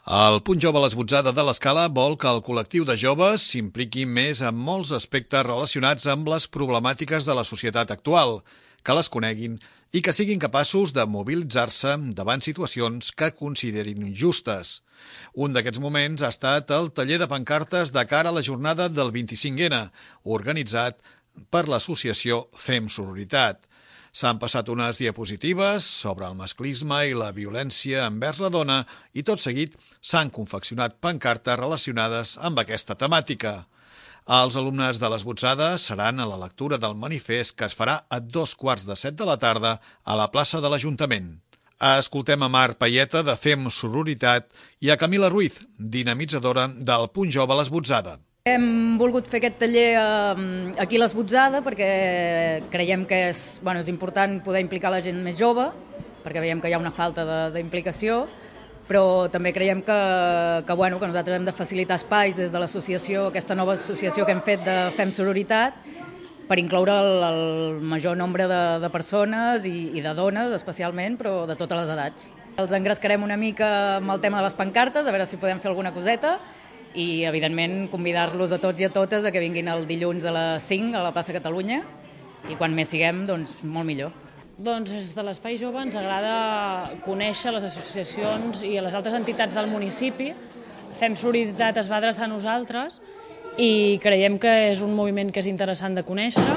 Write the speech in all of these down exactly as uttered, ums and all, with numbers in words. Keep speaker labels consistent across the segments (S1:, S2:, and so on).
S1: El Punt Jove a l'Esbotzada de l'Escala vol que el col·lectiu de joves s'impliqui més en molts aspectes relacionats amb les problemàtiques de la societat actual, que les coneguin i que siguin capaços de mobilitzar-se davant situacions que considerin injustes. Un d'aquests moments ha estat el taller de pancartes de cara a la jornada del vint-i-cinc ena, organitzat per l'associació Fem Sororitat. S'han passat unes diapositives sobre el masclisme i la violència envers la dona i tot seguit s'han confeccionat pancartes relacionades amb aquesta temàtica. Els alumnes de l'Esbotzada seran a la lectura del manifest que es farà a dos quarts de set de la tarda a la plaça de l'Ajuntament. Escoltem a Mar Payeta de Fem Sororitat i a Camila Ruiz, dinamitzadora del Punt Jove a l'Esbotzada.
S2: Hem volgut fer aquest taller aquí a l'Esbotzada perquè creiem que és, bueno, és important poder implicar la gent més jove, perquè veiem que hi ha una falta d'implicació, però també creiem que, que, bueno, que nosaltres hem de facilitar espais des de l'associació, aquesta nova associació que hem fet de Fem Sororitat, per incloure el, el major nombre de, de persones i, i de dones especialment, però de totes les edats. Els engrescarem una mica amb el tema de les pancartes, a veure si podem fer alguna coseta, i, evidentment, convidar-los a tots i a totes a que vinguin el dilluns a les cinc a la plaça Catalunya i quan més siguem, doncs, molt millor.
S3: Doncs des de l'Espai Jove ens agrada conèixer les associacions i les altres entitats del municipi. Fem Sororitat es va adreçar a nosaltres i creiem que és un moviment que és interessant de conèixer,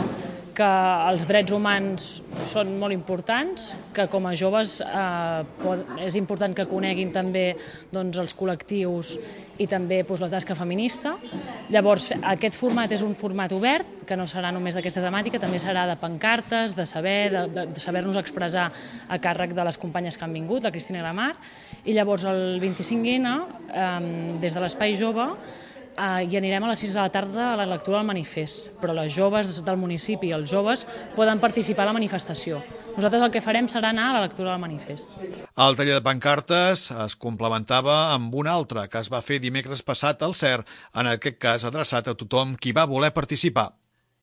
S3: que els drets humans són molt importants, que com a joves eh, és important que coneguin també doncs, els col·lectius i també doncs, la tasca feminista. Llavors, aquest format és un format obert, que no serà només d'aquesta temàtica, també serà de pancartes, de saber, de, de, de saber-nos expressar a càrrec de les companyes que han vingut, la Cristina i la Mar. I llavors, el vint-i-cinc ena, eh, des de l'Espai Jove, i anirem a les sis de la tarda a la lectura del manifest, però les joves del municipi i els joves poden participar a la manifestació. Nosaltres el que farem serà anar a la lectura del manifest.
S1: El taller de pancartes es complementava amb un altre que es va fer dimecres passat al C E R, en aquest cas adreçat a tothom qui va voler participar.